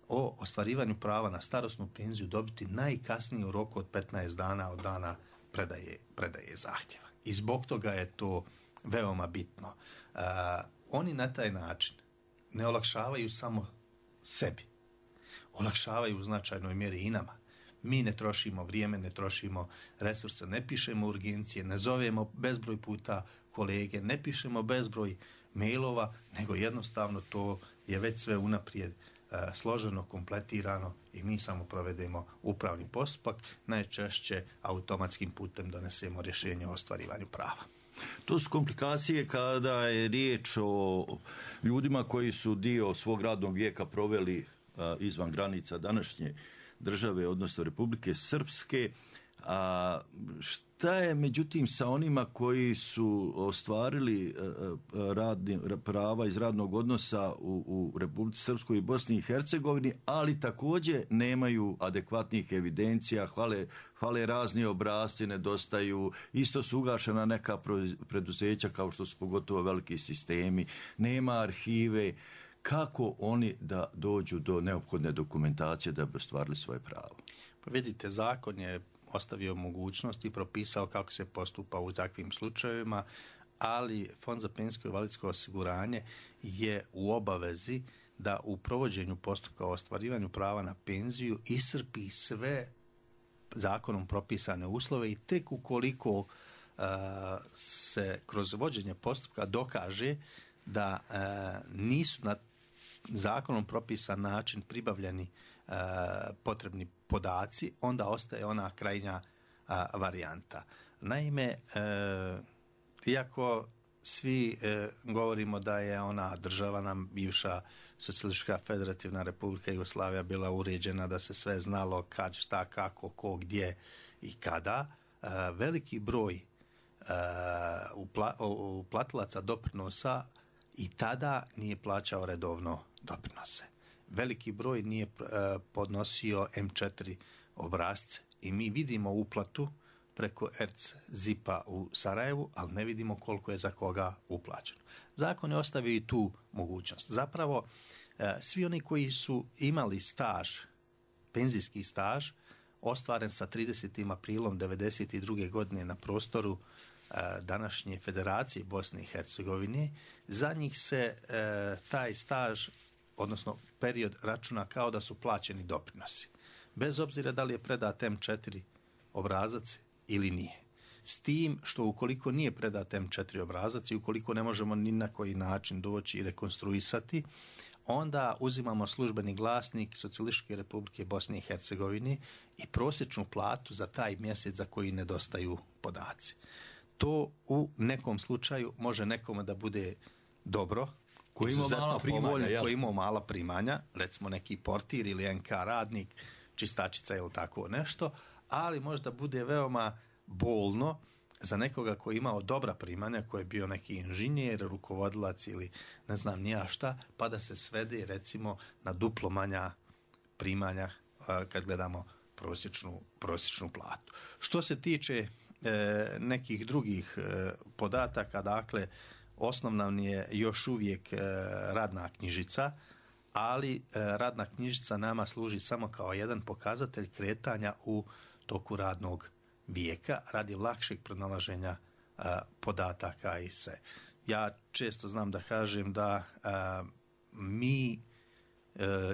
o ostvarivanju prava na starosnu penziju dobiti najkasnije u roku od 15 dana od dana predaje zahtjeva. I zbog toga je to veoma bitno. Oni na taj način ne olakšavaju samo sebi. Olakšavaju u značajnoj mjeri i nama. Mi ne trošimo vrijeme, ne trošimo resurse, ne pišemo urgencije, ne zovemo bezbroj puta kolege, ne pišemo bezbroj mailova, nego jednostavno to je već sve unaprijed složeno, kompletirano i mi samo provedemo upravni postupak, najčešće automatskim putem donesemo rješenje o ostvarivanju prava. To su komplikacije kada je riječ o ljudima koji su dio svog radnog vijeka proveli izvan granica današnje države, odnosno Republike Srpske. A šta je međutim sa onima koji su ostvarili prava iz radnog odnosa u Republici Srpskoj i Bosni i Hercegovini, ali također nemaju adekvatnih evidencija, hvale razni obrasci, nedostaju, isto su ugašena neka preduzeća kao što su pogotovo veliki sistemi, nema arhive. Kako oni da dođu do neophodne dokumentacije da bi ostvarili svoje pravo? Pa vidite, zakon je ostavio mogućnost i propisao kako se postupa u takvim slučajevima, ali Fond za penzijsko i invalidsko osiguranje je u obavezi da u provođenju postupka o ostvarivanju prava na penziju iscrpi sve zakonom propisane uslove i tek ukoliko se kroz vođenje postupka dokaže da nisu na zakonom propisan način pribavljeni potrebni podaci, onda ostaje ona krajnja varijanta. Naime, iako svi govorimo da je ona država nam bivša Socijalistička federativna republika Jugoslavija bila uređena, da se sve znalo kad, šta, kako, ko, gdje i kada, veliki broj uplatilaca doprinosa i tada nije plaćao redovno doprinose. Veliki broj nije podnosio M4 obrasce i mi vidimo uplatu preko ERC-ZIP-a u Sarajevu, ali ne vidimo koliko je za koga uplaćeno. Zakon je ostavio i tu mogućnost. Zapravo, svi oni koji su imali staž, penzijski staž, ostvaren sa 30. aprilom 1992. godine na prostoru današnje Federacije Bosne i Hercegovine, za njih se taj staž, odnosno period, računa kao da su plaćeni doprinosi. Bez obzira da li je predat M4 obrazac ili nije. S tim što ukoliko nije predat M4 obrazac i ukoliko ne možemo ni na koji način doći i rekonstruisati, onda uzimamo službeni glasnik Socijalističke republike Bosne i Hercegovine i prosječnu platu za taj mjesec za koji nedostaju podaci. To u nekom slučaju može nekome da bude dobro, koji ima mala primanja, recimo neki portir ili NK radnik, čistačica ili tako nešto, ali možda bude veoma bolno za nekoga koji je imao dobra primanja, koji je bio neki inženjer, rukovodilac ili ne znam ni ja šta, pa da se svede recimo na duplo manja primanja kad gledamo prosječnu platu. Što se tiče nekih drugih podataka, dakle, osnovna je još uvijek radna knjižica, ali radna knjižica nama služi samo kao jedan pokazatelj kretanja u toku radnog vijeka radi lakšeg pronalaženja podataka i sve. Ja često znam da kažem da mi,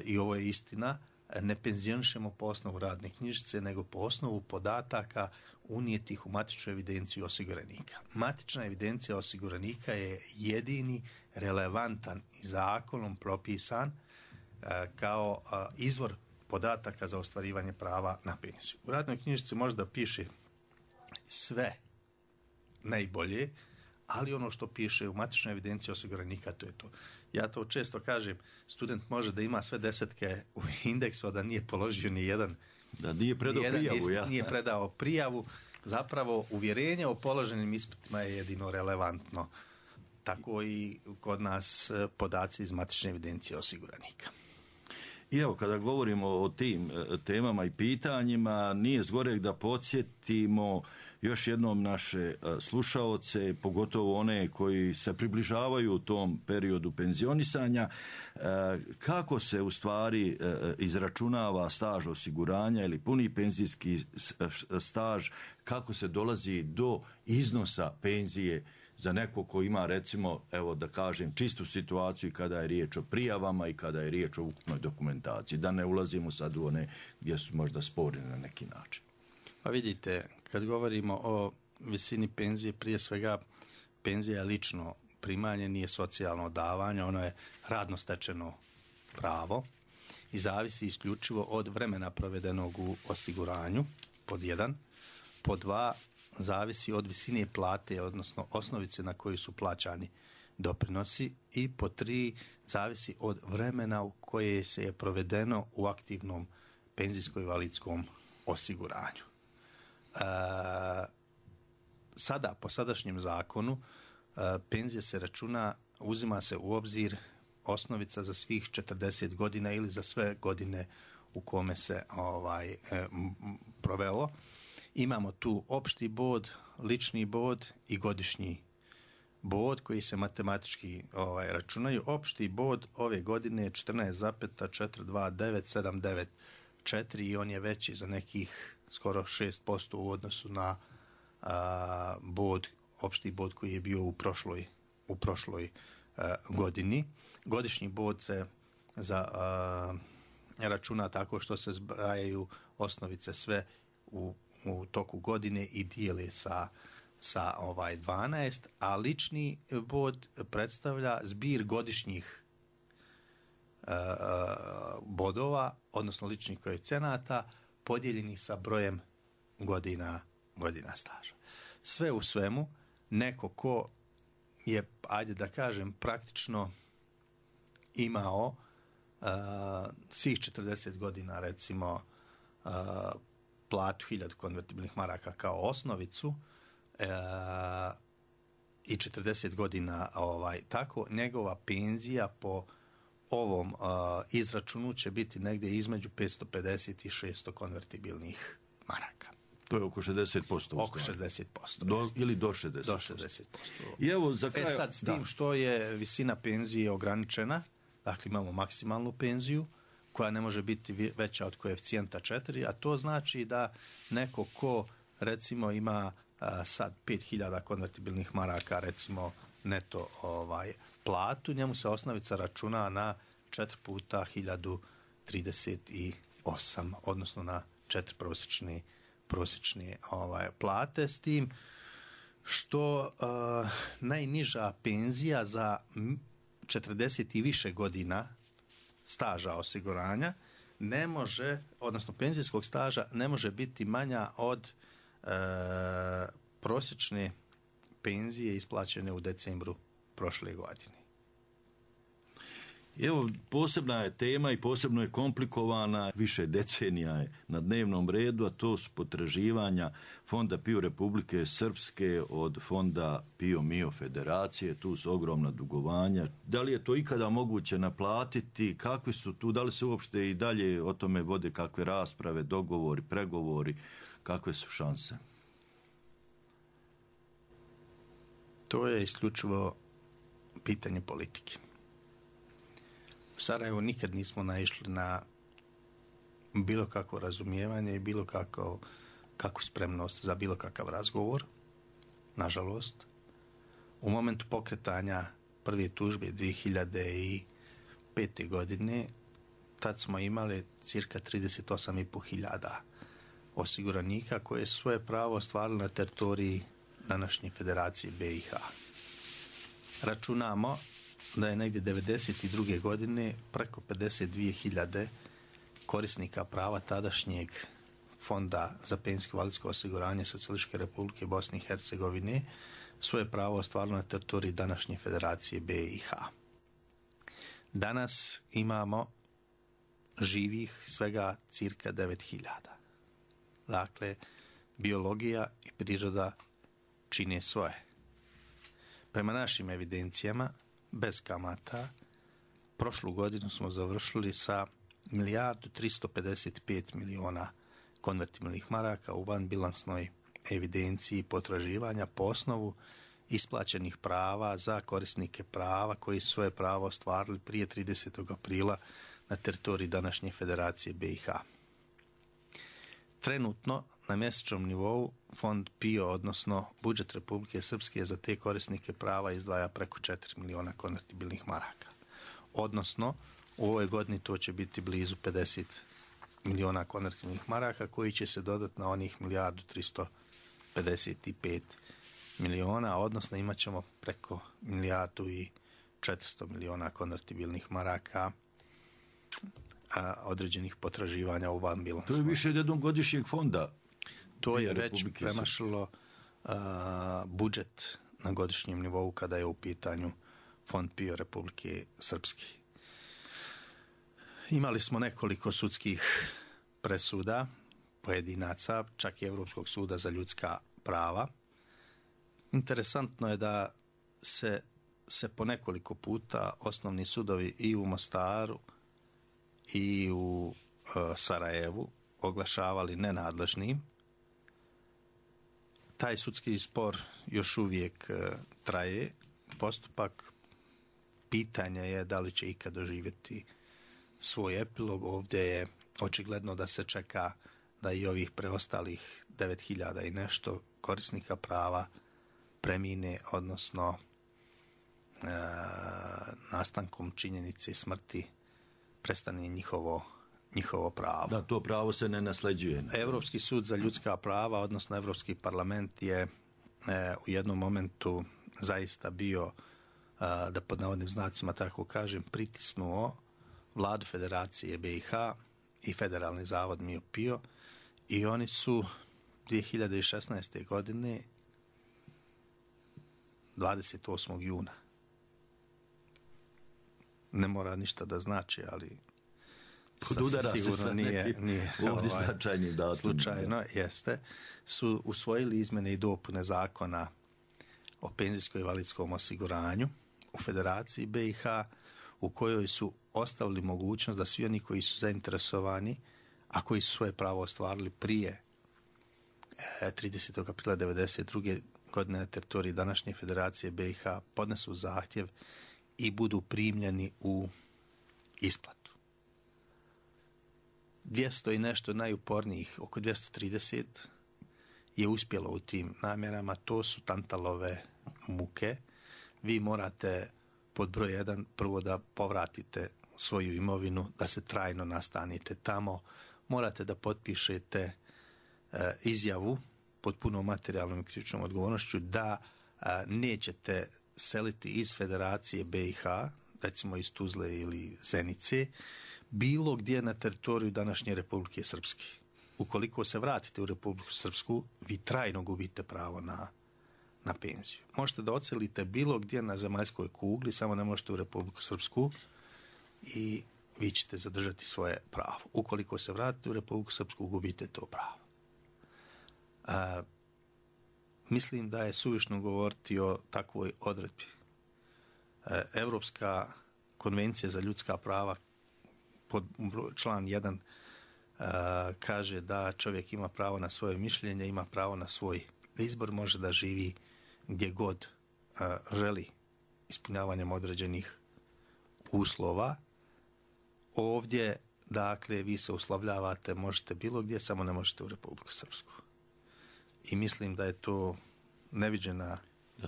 i ovo je istina, ne penzionišemo po osnovu radne knjižice, nego po osnovu podataka unijetih u matičnu evidenciju osiguranika. Matična evidencija osiguranika je jedini relevantan i zakonom propisan kao izvor podataka za ostvarivanje prava na penziju. U radnoj knjižici možda piše sve najbolje, ali ono što piše u matičnoj evidenciji osiguranika, to je to. Ja to često kažem, student može da ima sve desetke u indeksu, a da nije položio ni jedan. Da nije predao prijavu. Nije predao prijavu. Zapravo, uvjerenje o položenim ispitima je jedino relevantno. Tako i kod nas podaci iz matične evidencije osiguranika. I evo, kada govorimo o tim temama i pitanjima, nije zgoreg da podsjetimo još jednom naše slušaoce, pogotovo one koji se približavaju u tom periodu penzionisanja, kako se u stvari izračunava staž osiguranja ili puni penzijski staž, kako se dolazi do iznosa penzije za neko ko ima, recimo, evo da kažem, čistu situaciju kada je riječ o prijavama i kada je riječ o ukupnoj dokumentaciji. Da ne ulazimo sad u one gdje su možda sporni na neki način. Pa vidite, kad govorimo o visini penzije, prije svega penzija je lično primanje, nije socijalno davanje, ono je radno stečeno pravo i zavisi isključivo od vremena provedenog u osiguranju, pod 1. Pod 2, zavisi od visine plate, odnosno osnovice na koju su plaćani doprinosi, i pod 3, zavisi od vremena u koje se je provedeno u aktivnom penzijsko-invalidskom osiguranju. Sada, po sadašnjem zakonu, penzija se računa, uzima se u obzir osnovica za svih 40 godina ili za sve godine u kome se provelo. Imamo tu opšti bod, lični bod i godišnji bod koji se matematički računaju. Opšti bod ove godine je 14,429794 i on je veći za nekih skoro 6% u odnosu na opšti bod koji je bio u prošloj godini. Godišnji bod se računa tako što se zbrajaju osnovice sve u toku godine i dijele sa 12, a lični bod predstavlja zbir godišnjih bodova, odnosno ličnih koeficijenata podijeljenih sa brojem godina staža. Sve u svemu, neko ko je, ajde da kažem, praktično imao svih 40 godina, recimo, platu 1000 konvertibilnih maraka kao osnovicu i 40 godina tako, njegova penzija po ovom izračunu će biti negdje između 550 i 600 konvertibilnih maraka. To je oko 60%. Oko 60%. Ili do 60%. Do 60%. I evo za kraj... sad s tim što je visina penzije ograničena, dakle imamo maksimalnu penziju koja ne može biti veća od koeficijenta 4, a to znači da neko ko recimo ima sad 5000 konvertibilnih maraka, recimo neto platu, njemu se osnovica računa na 4 puta 1038, odnosno na 4 prosječne plate, s tim što najniža penzija za 40 i više godina staža osiguranja ne može, odnosno penzijskog staža ne može biti manja od prosječne penzije isplaćene u decembru prošle godine. Evo, posebna je tema i posebno je komplikovana, više decenija je na dnevnom redu, a to su potraživanja Fonda PIO Republike Srpske od Fonda PIO MIO Federacije, tu su ogromna dugovanja. Da li je to ikada moguće naplatiti, kakvi su tu, da li se uopšte i dalje o tome vode kakve rasprave, dogovori, pregovori, kakve su šanse? To je isključivo pitanje politike. U Sarajevu nikad nismo naišli na bilo kakvo razumijevanje i bilo kakvu spremnost za bilo kakav razgovor. Nažalost, u momentu pokretanja prve tužbe 2005. godine, tad smo imali cirka 38.500 osiguranika koje su svoje pravo ostvarili na teritoriji današnje Federacije BiH. Računamo da je negdje 1992. godine preko 52.000 korisnika prava tadašnjeg Fonda za penzijsko invalidsko osiguranje Socijalističke Republike Bosne i Hercegovine svoje pravo ostvarilo na teritoriji današnje Federacije BiH. Danas imamo živih svega cirka 9.000. Dakle, biologija i priroda čine svoje. Prema našim evidencijama, bez kamata, prošlu godinu smo završili sa 1.355.000.000 konvertibilnih maraka u vanbilansnoj evidenciji potraživanja po osnovu isplaćenih prava za korisnike prava koji su svoje pravo ostvarili prije 30. aprila na teritoriji današnje Federacije BiH. Trenutno na mjesečnom nivou Fond PIO, odnosno budžet Republike Srpske, za te korisnike prava izdvaja preko 4 miliona konvertibilnih maraka. Odnosno, u ovoj godini to će biti blizu 50 miliona konvertibilnih maraka koji će se dodati na onih 1.355.000.000, odnosno imat ćemo preko 1.400.000.000 konvertibilnih maraka određenih potraživanja u vanbilansnoj. To je više od jednog godišnjeg fonda. To je već premašilo budžet na godišnjem nivou kada je u pitanju Fond PIO Republike Srpske. Imali smo nekoliko sudskih presuda pojedinaca, čak i Europskog suda za ljudska prava. Interesantno je da se po nekoliko puta osnovni sudovi i u Mostaru i u Sarajevu oglašavali nenadležnim. Taj sudski spor još uvijek traje. Postupak, pitanje je da li će ikad doživjeti svoj epilog. Ovdje je očigledno da se čeka da i ovih preostalih 9.000 i nešto korisnika prava premine, odnosno nastankom činjenice smrti prestane njihovo pravo. Da, to pravo se ne nasljeđuje. Europski sud za ljudska prava, odnosno Europski parlament je u jednom momentu zaista bio, da pod navodnim znacima tako kažem, pritisnuo vladu Federacije BiH i Federalni zavod MIO-PIO i oni su 2016. godine 28. juna, ne mora ništa da znači, ali sigurno nije ovdje značajni datum. Slučajno jeste, su usvojili izmjene i dopune zakona o penzijskom i invalidskom osiguranju u Federaciji BiH, u kojoj su ostavili mogućnost da svi oni koji su zainteresovani, a koji su svoje pravo ostvarili prije 30. aprila 1992. godine na teritoriji današnje Federacije BiH, podnesu zahtjev i budu primljeni u isplatu. 200 i nešto najupornijih, oko 230, je uspjelo u tim namjerama. To su tantalove muke. Vi morate pod broj 1 prvo da povratite svoju imovinu, da se trajno nastanite tamo. Morate da potpišete izjavu pod punom materijalnom i krivičnom odgovornošću da nećete seliti iz Federacije BiH, recimo iz Tuzle ili Zenice, bilo gdje na teritoriju današnje Republike Srpske. Ukoliko se vratite u Republiku Srpsku, vi trajno gubite pravo na penziju. Možete da odselite bilo gdje na zemaljskoj kugli, samo ne možete u Republiku Srpsku i vi ćete zadržati svoje pravo. Ukoliko se vratite u Republiku Srpsku, gubite to pravo. Mislim da je suvišno govoriti o takvoj odredbi. Europska konvencija za ljudska prava pod član 1 kaže da čovjek ima pravo na svoje mišljenje, ima pravo na svoj izbor, može da živi gdje god želi ispunjavanjem određenih uslova. Ovdje, dakle, vi se uslovljavate, možete bilo gdje, samo ne možete u Republiku Srpsku. I mislim da je to neviđena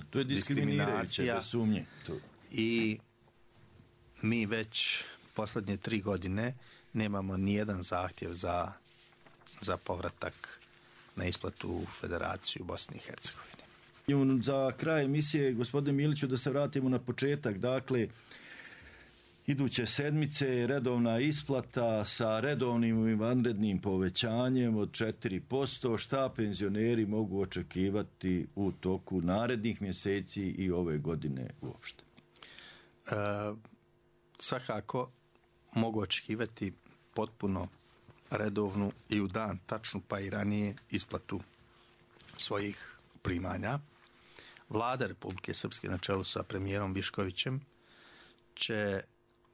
to je diskriminacija bez sumnje. I mi već posljednje 3 godine nemamo nijedan zahtjev za povratak na isplatu u Federaciju Bosne i Hercegovine. Za kraj emisije, gospodine Miliću, da se vratimo na početak. Dakle, iduće sedmice redovna isplata sa redovnim i vanrednim povećanjem od 4%. Šta penzioneri mogu očekivati u toku narednih mjeseci i ove godine uopšte? Svakako mogu očekivati potpuno redovnu i u dan tačnu, pa i ranije isplatu svojih primanja. Vlada Republike Srpske na čelu sa premijerom Viškovićem će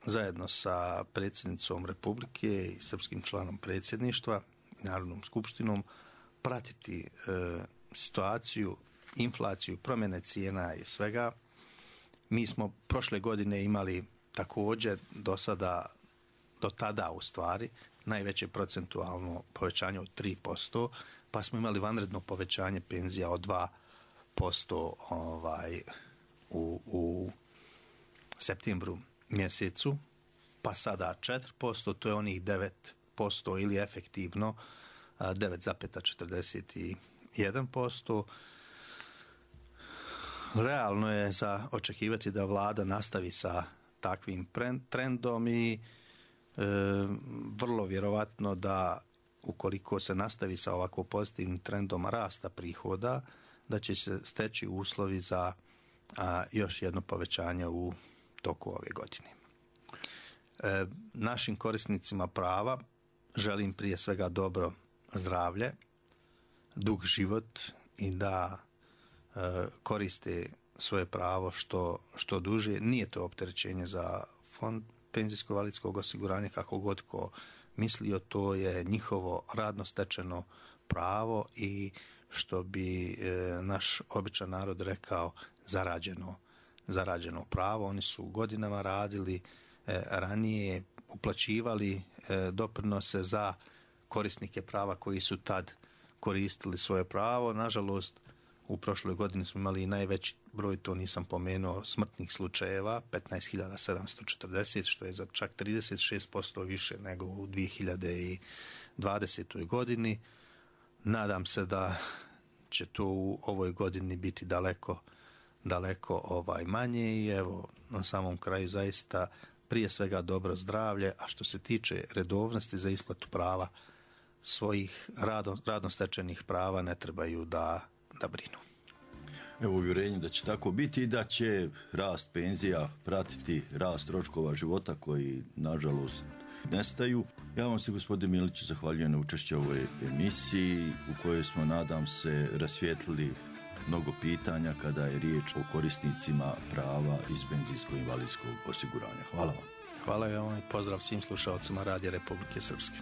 zajedno sa predsjednicom Republike i srpskim članom predsjedništva, Narodnom skupštinom, pratiti situaciju, inflaciju, promjene cijena i svega. Mi smo prošle godine imali također do tada u stvari najveće procentualno povećanje od 3%, pa smo imali vanredno povećanje penzija od 2% u septembru mjesecu, pa sada 4%, to je onih 9% ili efektivno 9,41%. Realno je za očekivati da vlada nastavi sa takvim trendom i vrlo vjerovatno da ukoliko se nastavi sa ovako pozitivnim trendom rasta prihoda, da će se steći uslovi za još jedno povećanje u toku ove godine. Našim korisnicima prava želim prije svega dobro zdravlje, dug život i da koriste svoje pravo što duže. Nije to opterećenje za fond penzijsko-invalidskog osiguranja, kako god ko mislio, to je njihovo radno stečeno pravo i što bi naš običan narod rekao zarađeno pravo. Oni su godinama radili, ranije uplaćivali doprinose za korisnike prava koji su tad koristili svoje pravo. Nažalost, u prošloj godini smo imali i najveći broj, to nisam pomenuo, smrtnih slučajeva, 15.740, što je za čak 36% više nego u 2020. godini. Nadam se da će to u ovoj godini biti daleko manje i evo, na samom kraju zaista prije svega dobro zdravlje, a što se tiče redovnosti za isplatu prava, svojih radno stečenih prava ne trebaju da brinu. Evo uvjerenje da će tako biti i da će rast penzija pratiti rast troškova života koji nažalost nestaju. Ja vam se, gospodine Milić, zahvaljujem na učešću u ovoj emisiji u kojoj smo, nadam se, rasvijetlili mnogo pitanja kada je riječ o korisnicima prava iz penzijsko-invalidskog osiguranja. Hvala vam. Hvala vam i pozdrav svim slušalcima Radija Republike Srpske.